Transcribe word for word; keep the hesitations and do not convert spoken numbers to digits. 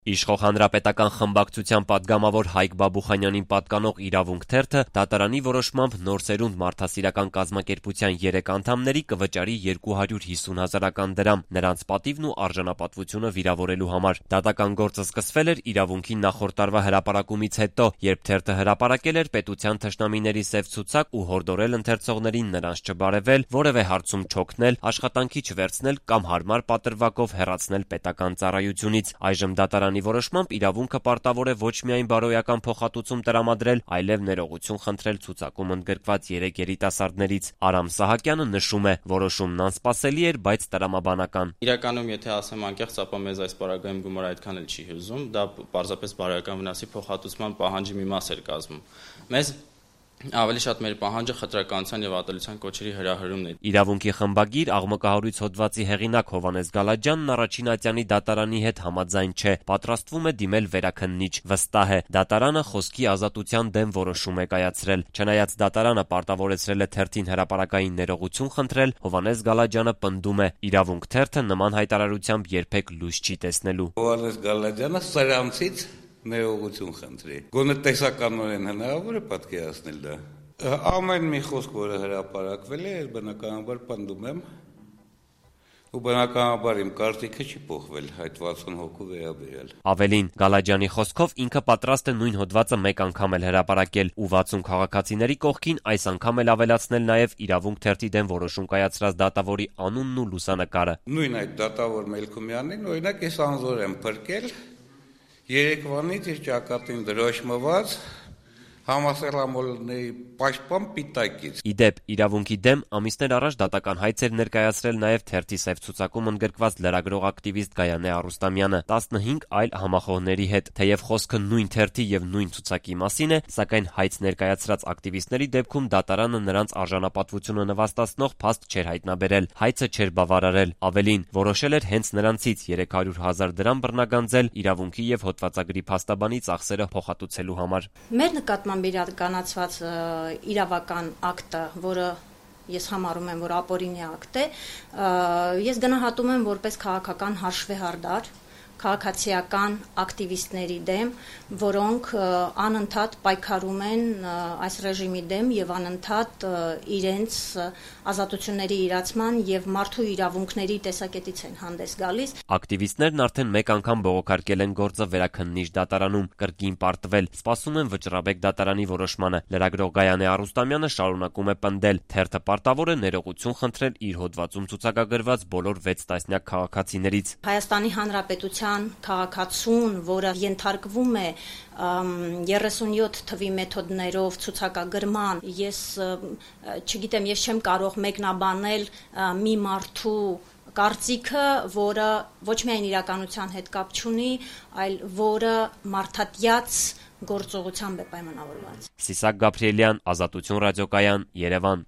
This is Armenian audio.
Իշխող հանրապետական խմբակցության պատգամավոր Հայկ Բաբուխանյանին պատկանող «Իրավունք» թերթը դատարանի որոշմամբ նոր սերունդ մարդասիրական կազմակերպության երեք անդամների կվճարի երկու հարյուր հիսուն հազարական դրամ նրանց պատիվն ու արժանապատվությունը վիրավորելու համար։ Դատական գործը սկսվել էր «Իրավունքի» նախորդ տարվա հրապարակումից հետո, երբ թերթը հրապարակել էր պետության թշնամիների սև ցուցակ ու հորդորել ընթերցողներին նրանց չբարևել, որևէ հարցում չօգնել, աշխատանքի չվերցնել կամ հարմար պատրվակով հեռացնել պետական ծառայությունից։ Այժմ դատարանի որոշմամբ «Իրավունքը» պարտավոր է ոչ միայն բարոյական փոխհատուցում տրամադրել, այլև ներողություն խնդրել ցուցակում ընդգրկված երեք երիտասարդներից։ Արամ Սահակյանը նշում է, որոշումն անսպասելի էր, բայց տրամաբանական։ Իրականում, եթե ասեմ անկեղծ, ապա մեզ այս պարագայում գումարը այդքան էլ չի հուզում, դա պարզապես բարոյական վնասի փոխհատուցման պահանջի մի մաս էր կազմում։ Մեզ ավելի շատ մեր պահանջը խտրականության եւ ատելության կոչերի հրահրումն է։ «Իրավունքի» խմբագիր աղմկահարույց հոդվածի հեղինակ Հովհաննես Գալաջյանն առաջին ատյանի դատարանի հետ համաձայն չէ, պատրաստվում է դիմել վերաքննիչ։ Վստահ է, դատարանը խոսքի ազատության դեմ որոշում է կայացրել։ Չնայած դատարանը պարտավորեցրել է թերթին հրապարակային ներողություն խնդրել, Հովհաննես Գալաջյանը պնդում է՝ «Իրավունք» թերթը նման հայտարարությամբ երբեք լույս չի տեսնելու։ Հովհաննես Գալաջյանը սրանցից ներողություն խնդրի։ Գոնե տեսականորեն հնարավոր է պատկերացնել դա։ Ամեն մի խոսք, որը հրապարակվել է, բնականաբար պնդում եմ, ու բնականաբար իմ կարծիքը չի փոխվել այդ վաթսուն հոգու վերաբերյալ։ Ավելին, Գալաջյանի խոսքով ինքը պատրաստ է նույն հոդվածը մեկ անգամ էլ հրապարակել ու վաթսուն քաղաքացիների կողքին այս անգամ էլ ավելացնել նաև «Իրավունք» թերթի դեմ որոշում կայացրած դատավորի անունն ու լուսանկարը։ Նույն այդ դատավոր Մելքումյանին, օրինակ, ես անզոր եմ փրկել երեկվանից իր ճակատին դրոշմված համասեռամոլների պաշտպան պիտակից։ Ի դեպ, «Իրավունքի» դեմ ամիսներ առաջ դատական հայց էր ներկայացրել նաև թերթի սև ցուցակում ընդգրկված լրագրող ակտիվիստ Գայանե Արուստամյանը տասնհինգ այլ համախոհների հետ։ Թեև խոսքը նույն թերթի եւ նույն ցուցակի մասին է, սակայն հայց ներկայացրած ակտիվիստների դեպքում դատարանը նրանց արժանապատվությունը նվաստացնող փաստ չէր հայտնաբերել, հայցը չէր բավարարել։ Ավելին, որոշել էր հենց նրանցից երեք հարյուր հազար դրամ բռնագանձել «Իրավունքի» եւ հոդվածագրի փաստաբանի ծախսերը փոխհատուցելու համար։ Մեր նկատմամբ իրականացված իրավական ակտը, որը ես համարում եմ, որ ապօրինի ակտ է, ես գնահատում եմ որպես քաղաքական հաշվեհարդար քաղաքացիական ակտիվիստների դեմ, որոնք անընդհատ պայքարում են այս ռեժիմի դեմ եւ անընդհատ իրենց ազատությունների իրացման եւ մարդու իրավունքների տեսակետից են հանդես գալիս։ Ակտիվիստներն արդեն մեկ անգամ բողոքարկել են գործը վերաքննիչ դատարանում, կրկին պարտվել, սպասում են վճռաբեկ դատարանի որոշմանը։ Լրագրող Գայանե Արուստամյանը շարունակում է պնդել, թերթը պարտավոր է ներողություն խնդրել իր հոդվածում ցուցակագրված բոլոր վեց տասնյակ քաղաքացիներից։ Հայաստանի Հանրապետության քաղաքացուն, որը ենթարկվում է երեսունյոթ թվի մեթոդներով ցուցակագրման, ես չգիտեմ, ես չեմ կարող մեկնաբանել մի մարդու կարծիքը, որը ոչ միայն իրականության հետ կապ չունի, այլ որը մարդատյաց գործողությամբ է պայմանավորված։ Սիսակ Գաբրիելյան, Ազատություն ռադիոկայան, Երևան։